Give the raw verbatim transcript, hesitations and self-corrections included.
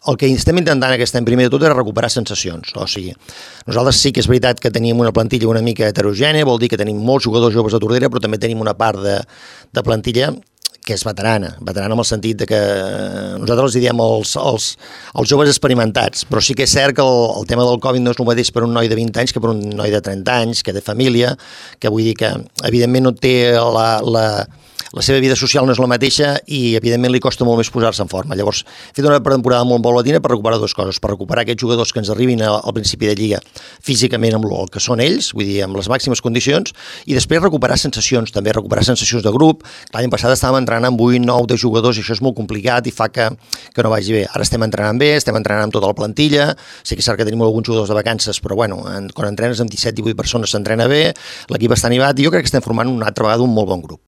el que estem intentant aquest any primer de tot és recuperar sensacions. O sigui, nosaltres sí que és veritat que tenim una plantilla una mica heterogènia, vol dir que tenim molts jugadors joves a Tordera, però també tenim una part de, de plantilla que és veterana, veterana en el sentit de que nosaltres els diem els, els, els joves experimentats, però sí que és cert que el, el tema del Covid no és el mateix per un noi de vint anys que per un noi de trenta anys, que té família, que vull dir que evidentment no té la, la, la seva vida social no és la mateixa i evidentment li costa molt més posar-se en forma. Llavors, he fet una temporada molt paulatina per recuperar dues coses, per recuperar aquests jugadors que ens arribin al, al principi de lliga físicament amb el que són ells, vull dir, amb les màximes condicions, i després recuperar sensacions, també recuperar sensacions de grup. L'any passat estàvem entrenant amb vuit, nou, deu jugadors i això és molt complicat i fa que, que no vagi bé. Ara estem entrenant bé, estem entrenant amb tota la plantilla, sí que és cert que tenim alguns jugadors de vacances, però bueno, en, quan entrenes amb disset divuit persones s'entrena bé, l'equip està animat i jo crec que estem formant una altra vegada un molt bon grup.